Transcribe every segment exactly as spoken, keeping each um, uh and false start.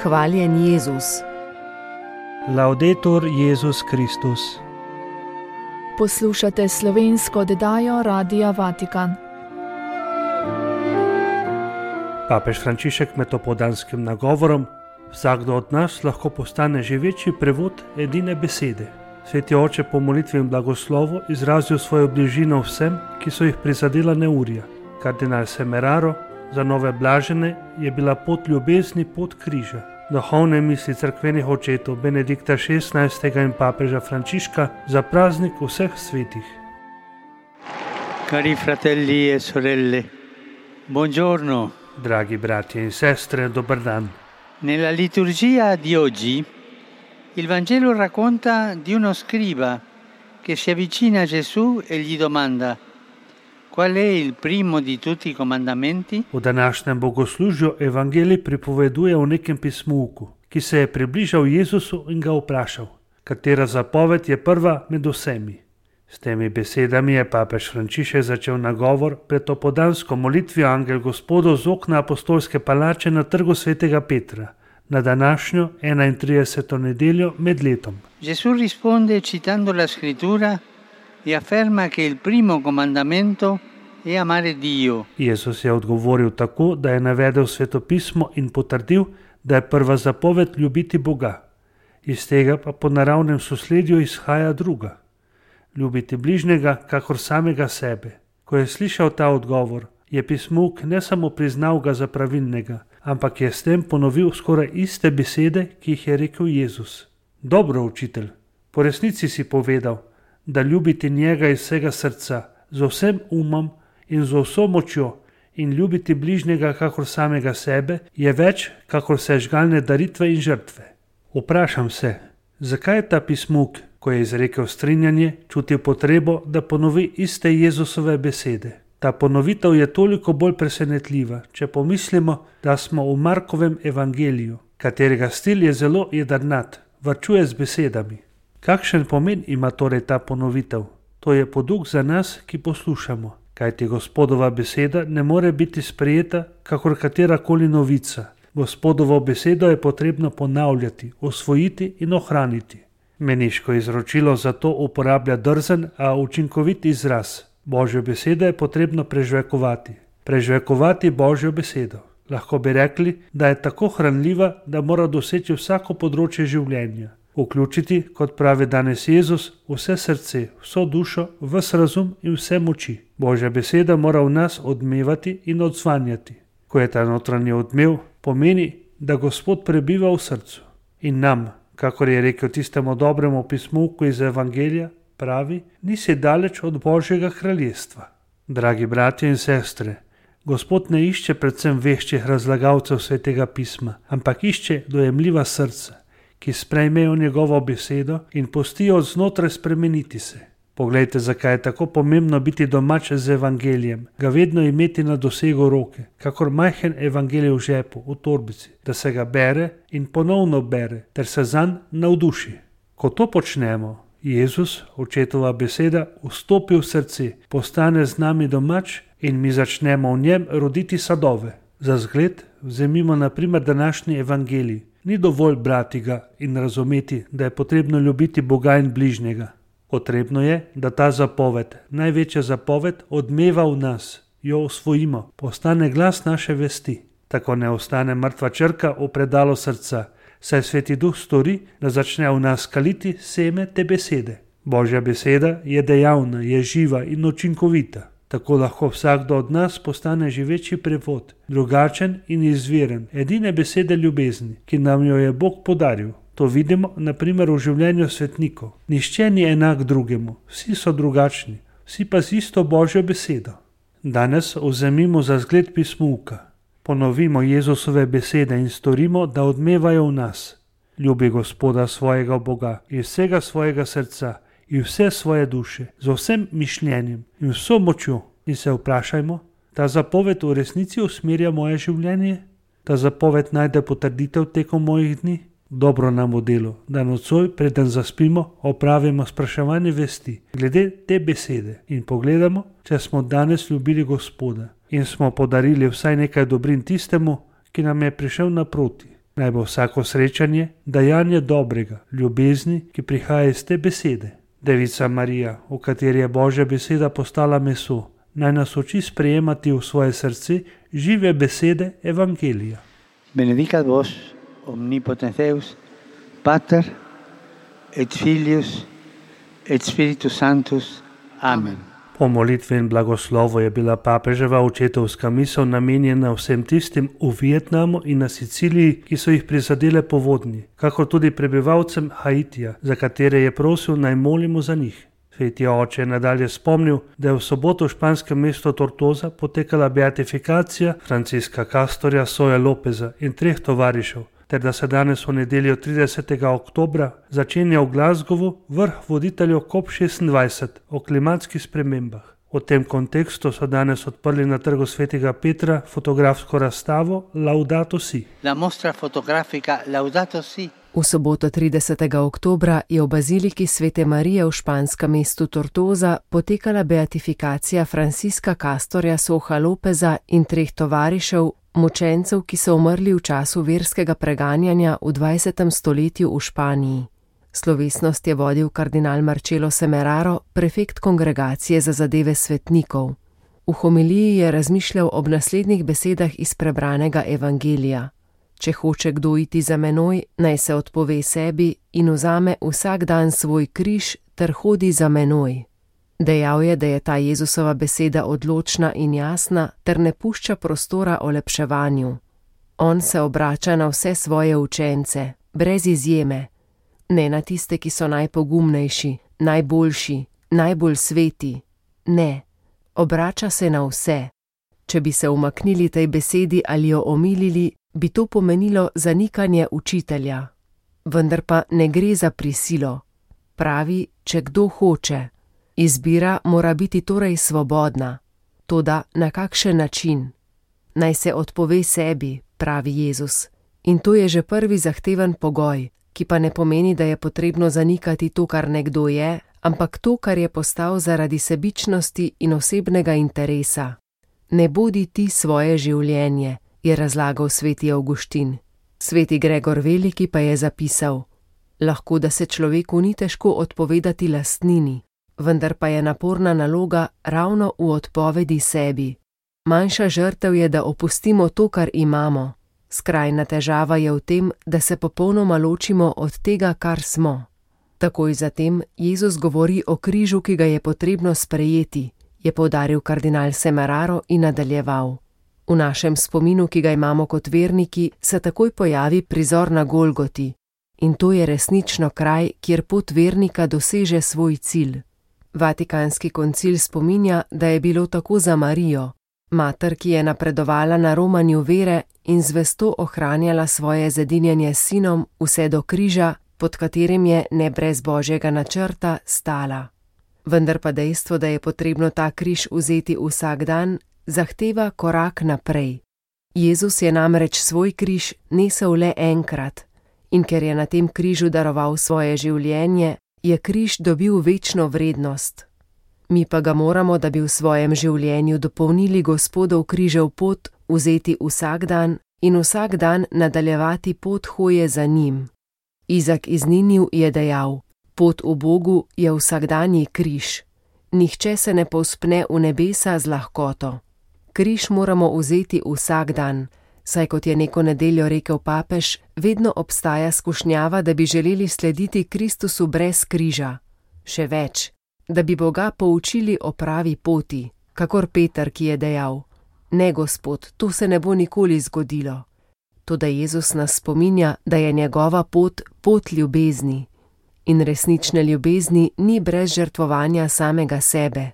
Hvaljen Jezus. Laudetur Jezus Kristus. Poslušate slovensko oddajo Radia Vatikan. Papež Frančišek med opoldanskim nagovorom: vsakdo od nas lahko postane živeči prevod edine besede. Sveti oče po molitvi in blagoslovu izrazil svojo bližino vsem, ki so jih prizadela neurja. Kardinal Semeraro: za nove blažene je bila pot ljubezni pot križa. Duhovne misli cerkvenih očetov Benedikta šestnajstega in papeža Frančiška za praznik vseh svetih. Cari fratelli e sorelle, buongiorno. Dragi bratje in sestre, dober dan. Nella liturgia di oggi il Vangelo racconta di uno scriba che si avvicina a Gesù e gli domanda: qual è il primo di tutti i comandamenti? V današnjem bogoslužju evangelij pripoveduje o nekem pismuku, ki se je približal Jezusu in ga vprašal, katera zapoved je prva med vsemi. S temi besedami je papež Frančišek začel nagovor pred opoldansko molitvijo Angel Gospodov z okna apostolske palače na trgu svetega Petra, na današnjo enaintrideseto nedeljo med letom. Gesù risponde citando la scrittura e afferma che il primo comandamento è amare Dio. Jezus je odgovoril tako, da je navedel svetopismo in potrdil, da je prva zapoved ljubiti Boga. Iz tega pa po naravnem sosledju izhaja druga: ljubiti bližnjega kakor samega sebe. Ko je slišal ta odgovor, je pismuk ne samo priznal ga za pravilnega, ampak je s tem ponovil skoraj iste besede, ki jih je rekel Jezus. Dobro, učitelj, po resnici si povedal, da ljubiti njega iz vsega srca, z vsem umom in z vso močjo, in ljubiti bližnjega kakor samega sebe je več kakor sežgalne daritve in žrtve. Vprašam se, zakaj je ta pismuk, ko je izrekel strinjanje, čutil potrebo, da ponovi iste Jezusove besede. Ta ponovitev je toliko bolj presenetljiva, če pomislimo, da smo v Markovem evangeliju, katerega stil je zelo jedrnat, varčuje z besedami. Kakšen pomen ima torej ta ponovitev? To je poduk za nas, ki poslušamo, kajti Gospodova beseda ne more biti sprejeta kakor katerakoli novica. Gospodovo besedo je potrebno ponavljati, osvojiti in ohraniti. Meniško izročilo zato uporablja drzen, a učinkovit izraz. Božjo besedo je potrebno prežvekovati. Prežvekovati Božjo besedo. Lahko bi rekli, da je tako hranljiva, da mora doseči vsako področje življenja. Vključiti, kot pravi danes Jezus, vse srce, vso dušo, ves razum in vse moči. Božja beseda mora v nas odmevati in odzvanjati. Ko je ta notranji odmev, pomeni, da Gospod prebiva v srcu. In nam, kakor je rekel tistemu dobremu pismuku iz evangelija, pravi: nisi daleč od Božjega kraljestva. Dragi bratje in sestre, Gospod ne išče predvsem veščih razlagalcev svetega pisma, ampak išče dojemljiva srca, ki sprejmejo njegovo besedo in pustijo znotraj spremeniti se. Poglejte, zakaj je tako pomembno biti domač z evangelijem, ga vedno imeti na dosegu roke, kakor majhen evangelij v žepu, v torbici, da se ga bere in ponovno bere, ter se zanj navduši. Ko to počnemo, Jezus, očetova beseda, vstopi v srce, postane z nami domač in mi začnemo v njem roditi sadove. Za zgled vzemimo na primer današnji evangelij. Ni dovolj brati ga in razumeti, da je potrebno ljubiti Boga in bližnjega. Potrebno je, da ta zapoved, največja zapoved, odmeva v nas, jo osvojimo, postane glas naše vesti. Tako ne ostane mrtva črka v predalu srca, saj Sveti Duh stori, da začne v nas kaliti seme te besede. Božja beseda je dejavna, je živa in učinkovita. Tako lahko vsakdo od nas postane živeči prevod, drugačen in izviren, edine besede ljubezni, ki nam jo je Bog podaril. To vidimo na primer v življenju svetnikov. Nihče ni enak drugemu, vsi so drugačni, vsi pa z isto Božjo besedo. Danes vzemimo za zgled pismuka, ponovimo Jezusove besede in storimo, da odmevajo v nas. Ljubi Gospoda svojega Boga iz vsega svojega srca in vse svoje duše, z vsem mišljenjem in vso močjo. In se vprašajmo, ta zapoved v resnici usmerja moje življenje? Ta zapoved najde potrditev tekom mojih dni? Dobro nam v delu, da nocoj, preden zaspimo, opravimo spraševanje vesti glede te besede in pogledamo, če smo danes ljubili Gospoda in smo podarili vsaj nekaj dobrin tistemu, ki nam je prišel naproti. Naj bo vsako srečanje dajanje dobrega, ljubezni, ki prihaja iz te besede. Devica Marija, v kateri je Božja beseda postala meso, naj nas uči sprejemati v svoje srce žive besede Evangelija. Benedicat vos, omnipotens Deus, Pater, et Filius, et Spiritus Sanctus. Amen. Po molitvi in blagoslovu je bila papeževa očetovska misel namenjena vsem tistim v Vietnamu in na Siciliji, ki so jih prizadele povodnji, kakor tudi prebivalcem Haitija, za katere je prosil, naj molimo za njih. Sveti oče je nadalje spomnil, da je v soboto v španskem mestu Tortosa potekala beatifikacija Franciska Castorja Soja Lopeza in treh tovarišev, ter da se danes v nedeljo tridesetega oktobra začenja v Glasgowu vrh voditeljev COP šestindvajset o klimatskih spremembah. V tem kontekstu so danes odprli na trgu Svetega Petra fotografsko razstavo Laudato Si. La mostra fotografica Laudato Si. V soboto tridesetega oktobra je v baziliki Svete Marije v španskem mestu Tortosa potekala beatifikacija Franciska Castorja Soja Lopeza in treh tovarišev, mučencev, ki so umrli v času verskega preganjanja v dvajsetem stoletju v Španiji. Slovesnost je vodil kardinal Marcelo Semeraro, prefekt kongregacije za zadeve svetnikov. V homiliji je razmišljal ob naslednjih besedah iz prebranega Evangelija. Če hoče kdo iti za menoj, naj se odpove sebi in vzame vsak dan svoj križ ter hodi za menoj. Dejal je, da je ta Jezusova beseda odločna in jasna ter ne pušča prostora olepševanju. On se obrača na vse svoje učence, brez izjeme, ne na tiste, ki so najpogumnejši, najboljši, najbolj sveti. Ne, obrača se na vse. Če bi se umaknili tej besedi ali jo omilili, bi to pomenilo zanikanje učitelja. Vendar pa ne gre za prisilo. Pravi, če kdo hoče. Izbira mora biti torej svobodna. Toda na kakšen način? Naj se odpove sebi, pravi Jezus. In to je že prvi zahteven pogoj, ki pa ne pomeni, da je potrebno zanikati to, kar nekdo je, ampak to, kar je postal zaradi sebičnosti in osebnega interesa. Ne bodi ti svoje življenje, je razlagal sveti Avguštin. Sveti Gregor Veliki pa je zapisal: lahko, da se človeku ni težko odpovedati lastnini, vendar pa je naporna naloga ravno v odpovedi sebi. Manjša žrtev je, da opustimo to, kar imamo. Skrajna težava je v tem, da se popolnoma ločimo od tega, kar smo. Takoj zatem Jezus govori o križu, ki ga je potrebno sprejeti, je poudaril kardinal Semeraro in nadaljeval. V našem spominu, ki ga imamo kot verniki, se takoj pojavi prizor na Golgoti. In to je resnično kraj, kjer pot vernika doseže svoj cilj. Vatikanski koncil spominja, da je bilo tako za Marijo, mater, ki je napredovala na romanju vere in zvesto ohranjala svoje zedinjenje s sinom vse do križa, pod katerim je, ne brez Božjega načrta, stala. Vendar pa dejstvo, da je potrebno ta križ vzeti vsak dan, zahteva korak naprej. Jezus je namreč svoj križ nesel le enkrat in ker je na tem križu daroval svoje življenje, je križ dobil večno vrednost. Mi pa ga moramo, da bi v svojem življenju dopolnili Gospodov križev pot, vzeti vsak dan in vsak dan nadaljevati pot hoje za njim. Izak iz Niniv je dejal: pot v Bogu je vsakdanji križ. Nihče se ne povzpne v nebesa z lahkoto. Križ moramo vzeti vsak dan, saj kot je neko nedeljo rekel papež, vedno obstaja skušnjava, da bi želeli slediti Kristusu brez križa. Še več, da bi Boga poučili o pravi poti, kakor Peter, ki je dejal: ne, Gospod, to se ne bo nikoli zgodilo. Toda Jezus nas spominja, da je njegova pot pot ljubezni. In resnične ljubezni ni brez žrtvovanja samega sebe.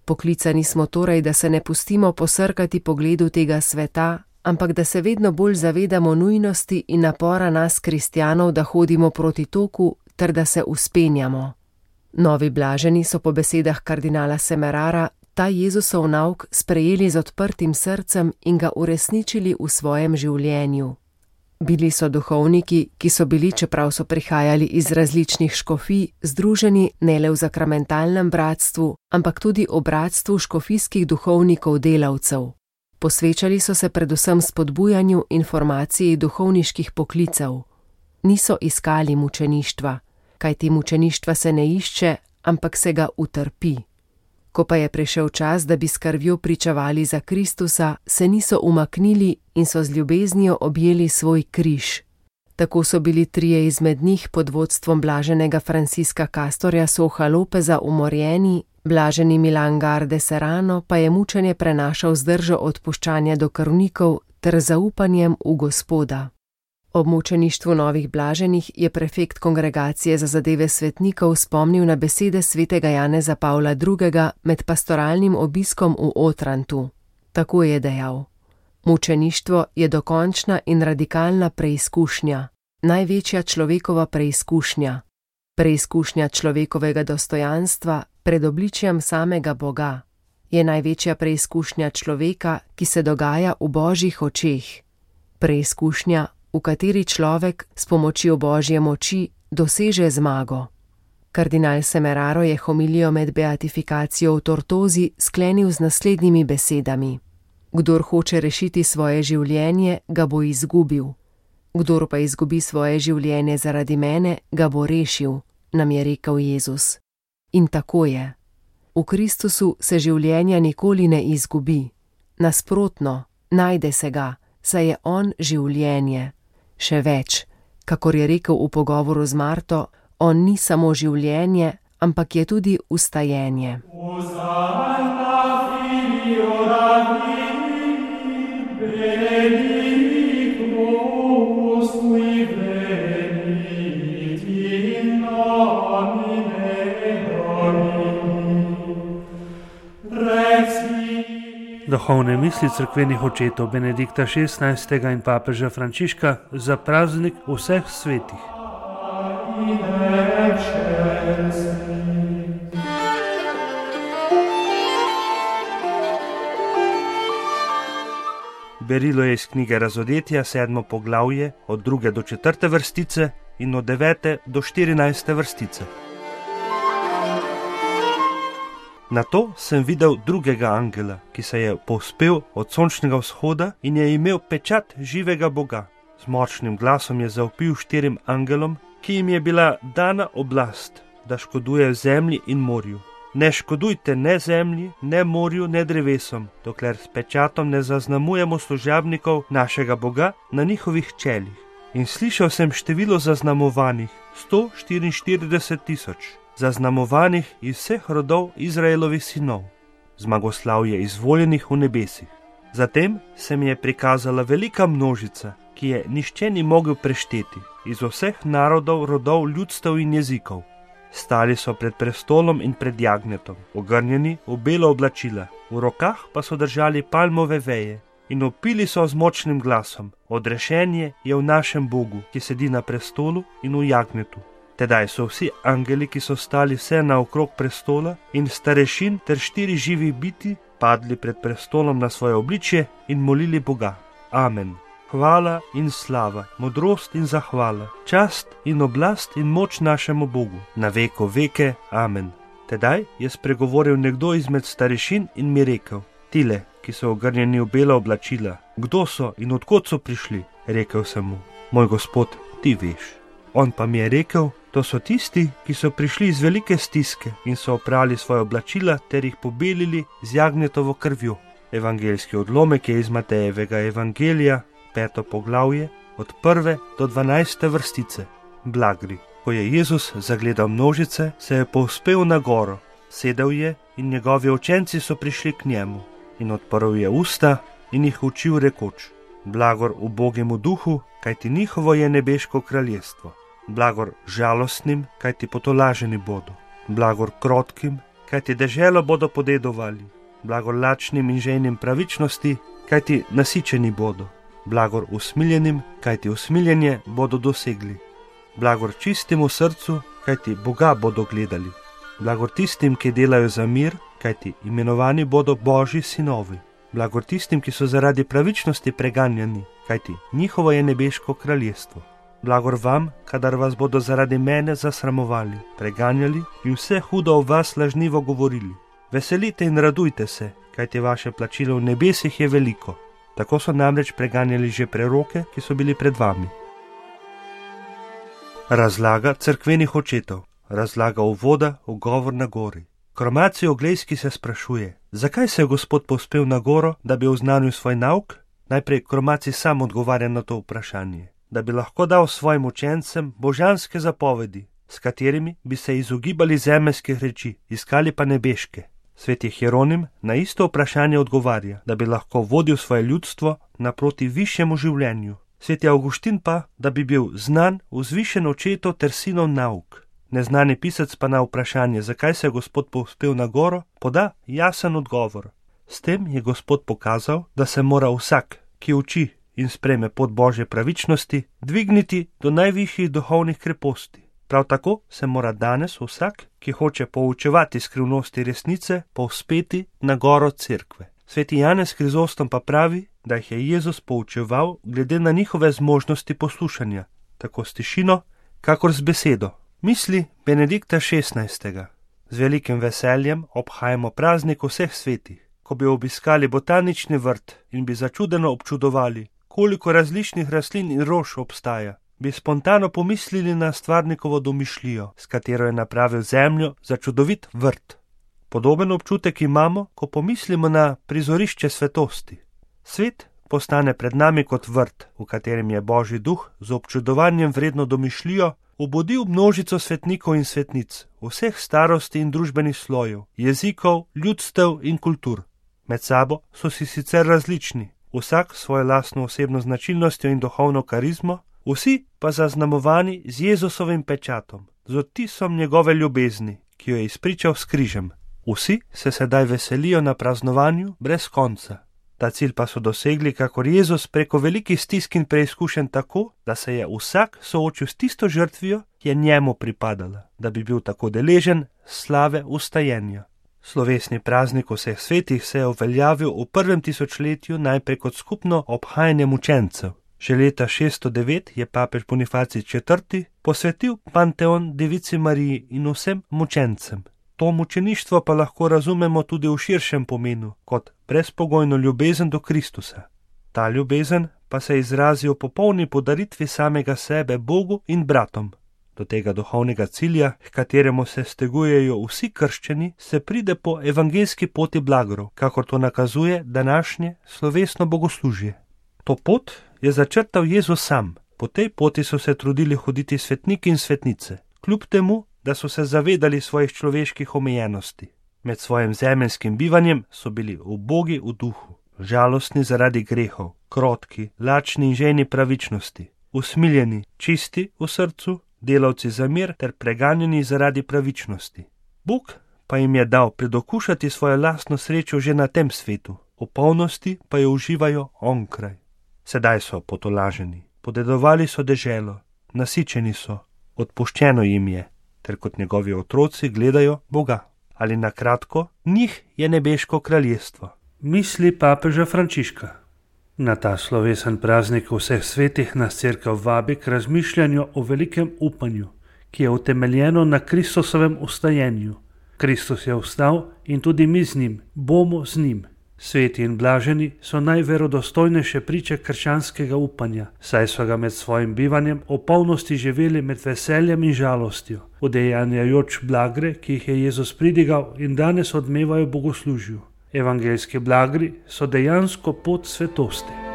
Poklicani smo torej, da se ne pustimo posrkati pogledu tega sveta, ampak da se vedno bolj zavedamo nujnosti in napora nas kristjanov, da hodimo proti toku ter da se vzpenjamo. Novi blaženi so po besedah kardinala Semerara ta Jezusov nauk sprejeli z odprtim srcem in ga uresničili v svojem življenju. Bili so duhovniki, ki so bili, čeprav so prihajali iz različnih škofij, združeni ne le v zakramentalnem bratstvu, ampak tudi v bratstvu škofijskih duhovnikov delavcev. Posvečali so se predvsem spodbujanju in formaciji duhovniških poklicev. Niso iskali mučeništva, kajti mučeništva se ne išče, ampak se ga utrpi. Ko pa je prišel čas, da bi s krvjo pričevali za Kristusa, se niso umaknili in so z ljubeznijo objeli svoj križ. Tako so bili trije izmed njih pod vodstvom blaženega Francisca Castorja Soja Lopeza umorjeni, blaženi Milan Garde Serrano pa je mučenje prenašal z držo odpuščanja do krvnikov ter zaupanjem v Gospoda. Ob mučeništvu novih blaženih je prefekt Kongregacije za zadeve svetnikov spomnil na besede svetega Janeza Pavla drugega med pastoralnim obiskom v Otrantu. Tako je dejal: mučeništvo je dokončna in radikalna preizkušnja, največja človekova preizkušnja, preizkušnja človekovega dostojanstva pred obličjem samega Boga, je največja preizkušnja človeka, ki se dogaja v Božjih očeh, preizkušnja, v kateri človek s pomočjo Božje moči doseže zmago. Kardinal Semeraro je homilijo med beatifikacijo v Tortozi sklenil z naslednjimi besedami: kdor hoče rešiti svoje življenje, ga bo izgubil. Kdor pa izgubi svoje življenje zaradi mene, ga bo rešil, nam je rekel Jezus. In tako je. V Kristusu se življenja nikoli ne izgubi. Nasprotno, najde se ga, saj je on življenje. Še več, kakor je rekel v pogovoru z Marto, on ni samo življenje, ampak je tudi ustajenje. Duhovne misli cerkvenih očetov Benedikta šestnajstega in papeža Frančiška za praznik vseh svetih. Berilo je iz knjige Razodetja, sedmo poglavje, od druge do četrte vrstice in od devete do štirinajste vrstice. Nato sem videl drugega angela, ki se je povzpel od sončnega vzhoda in je imel pečat živega Boga. Z močnim glasom je zavpil štirim angelom, ki jim je bila dana oblast, da škoduje zemlji in morju. Ne škodujte ne zemlji, ne morju, ne drevesom, dokler s pečatom ne zaznamujemo služabnikov našega Boga na njihovih čelih. In slišal sem število zaznamovanih, sto štiriinštirideset tisoč. Zaznamovanih iz vseh rodov Izraelovih sinov, zmagoslavje izvoljenih v nebesih. Zatem se mi je prikazala velika množica, ki je nihče ni mogel prešteti, iz vseh narodov, rodov, ljudstev in jezikov. Stali so pred prestolom in pred jagnjetom, ogrnjeni v belo oblačila, v rokah pa so držali palmove veje in vpili so z močnim glasom: odrešenje je v našem Bogu, ki sedi na prestolu in v jagnjetu. Tedaj so vsi angeli, ki so stali vse naokrog prestola, in starešin ter štiri živi biti padli pred prestolom na svoje obličje in molili Boga. Amen. Hvala in slava, modrost in zahvala, čast in oblast in moč našemu Bogu, na veko veke. Amen. Tedaj je spregovoril nekdo izmed starešin in mi rekel: tile, ki so ogrnjeni v bela oblačila, kdo so in odkot so prišli? Rekel sem mu: moj Gospod, ti veš. On pa mi je rekel: to so tisti, ki so prišli iz velike stiske in so oprali svoje oblačila ter jih pobelili z jagnjetovo krvjo. Evangeljski odlomek je iz Matejevega evangelija, peto poglavje, od prve do dvanajste vrstice. Blagri. Ko je Jezus zagledal množice, se je povzpel na goro, sedel je in njegovi učenci so prišli k njemu. In odprl je usta in jih učil rekoč: blagor ubogemu duhu, kajti njihovo je nebeško kraljestvo. Blagor žalostnim, kajti potolaženi bodo. Blagor krotkim, kajti deželo bodo podedovali. Blagor lačnim in žejnim pravičnosti, kajti nasičeni bodo. Blagor usmiljenim, kajti usmiljenje bodo dosegli. Blagor čistim v srcu, kajti Boga bodo gledali. Blagor tistim, ki delajo za mir, kajti imenovani bodo Božji sinovi. Blagor tistim, ki so zaradi pravičnosti preganjani, kajti njihovo je nebeško kraljestvo. Blagor vam, kadar vas bodo zaradi mene zasramovali, preganjali in vse hudo o vas lažnivo govorili. Veselite in radujte se, kajti vaše plačilo v nebesih je veliko. Tako so namreč preganjali že preroke, ki so bili pred vami. Razlaga cerkvenih očetov. Razlaga uvoda v govor na gori. Kromaci Oglejski se sprašuje, zakaj se je Gospod povzpel na goro, da bi oznanil svoj nauk? Najprej Kromaci sam odgovarja na to vprašanje, da bi lahko dal svojim učencem božanske zapovedi, s katerimi bi se izogibali zemeljskih reči, iskali pa nebeške. Sveti Hieronim na isto vprašanje odgovarja, da bi lahko vodil svoje ljudstvo naproti višjemu življenju. Sveti Avguštin pa, da bi bil znan, vzvišen očetov ter sinov nauk. Neznani pisec pa na vprašanje, zakaj se je Gospod povzpel na goro, poda jasen odgovor. S tem je Gospod pokazal, da se mora vsak, ki uči in sprejme pot Božje pravičnosti, dvigniti do najvišjih duhovnih kreposti. Prav tako se mora danes vsak, ki hoče poučevati skrivnosti resnice, povzpeti na goro cerkve. Sveti Janez Krizostom pa pravi, da jih je Jezus poučeval glede na njihove zmožnosti poslušanja, tako s tišino, kakor z besedo. Misli Benedikta šestnajstega. Z velikim veseljem obhajamo praznik vseh svetih, ko bi obiskali botanični vrt in bi začudeno občudovali, koliko različnih rastlin in rož obstaja, bi spontano pomislili na stvarnikovo domišljijo, s katero je napravil zemljo za čudovit vrt. Podoben občutek imamo, ko pomislimo na prizorišče svetosti. Svet postane pred nami kot vrt, v katerem je Božji duh z občudovanjem vredno domišljijo obudil množico svetnikov in svetnic, vseh starosti in družbenih slojev, jezikov, ljudstev in kultur. Med sabo so si sicer različni, vsak svojo lastno osebno značilnostjo in duhovno karizmo, vsi pa zaznamovani z Jezusovim pečatom, z odtisom njegove ljubezni, ki jo je izpričal s križem. Vsi se sedaj veselijo na praznovanju brez konca. Ta cilj pa so dosegli, kakor Jezus preko velikih stisk in preizkušenj tako, da se je vsak soočil s tisto žrtvijo, ki je njemu pripadala, da bi bil tako deležen slave ustajenja. Slovesni praznik vseh svetih se je uveljavil v prvem tisočletju najprej kot skupno obhajanje mučencev. Že leta šeststo devet je papež Bonifacij četrti posvetil panteon Devici Mariji in vsem mučencem. To mučeništvo pa lahko razumemo tudi v širšem pomenu, kot brezpogojno ljubezen do Kristusa. Ta ljubezen pa se izrazi v popolni podaritvi samega sebe Bogu in bratom. Do tega duhovnega cilja, k kateremu se stegujejo vsi krščani, se pride po evangeljski poti blagorov, kakor to nakazuje današnje slovesno bogoslužje. To pot je začrtal Jezus sam. Po tej poti so se trudili hoditi svetniki in svetnice, kljub temu, da so se zavedali svojih človeških omejenosti. Med svojim zemeljskim bivanjem so bili ubogi v duhu, žalostni zaradi grehov, krotki, lačni in žejni pravičnosti, usmiljeni, čisti v srcu, delavci za mir ter preganjeni zaradi pravičnosti. Bog pa jim je dal predokušati svojo lastno srečo že na tem svetu, v polnosti pa jo uživajo onkraj. Sedaj so potolaženi, podedovali so deželo, nasičeni so, odpuščeno jim je, ter kot njegovi otroci gledajo Boga. Ali na kratko, njih je nebeško kraljestvo. Misli papeža Frančiška. Na ta slovesen praznik vseh svetih nas cerkev vabi k razmišljanju o velikem upanju, ki je utemeljeno na Kristusovem ustajenju. Kristus je vstal in tudi mi z njim, bomo z njim. Sveti in blaženi so najverodostojnejše priče krščanskega upanja, saj so ga med svojim bivanjem v polnosti živeli med veseljem in žalostjo, udejanjajoč blagre, ki jih je Jezus pridigal in danes odmevajo bogoslužju. Evangeljski blagri so dejansko pot svetosti.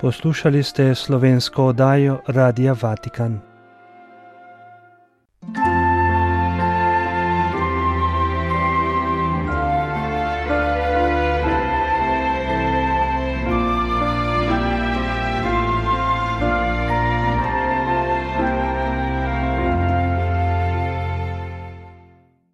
Poslušali ste slovensko oddajo Radia Vatikan.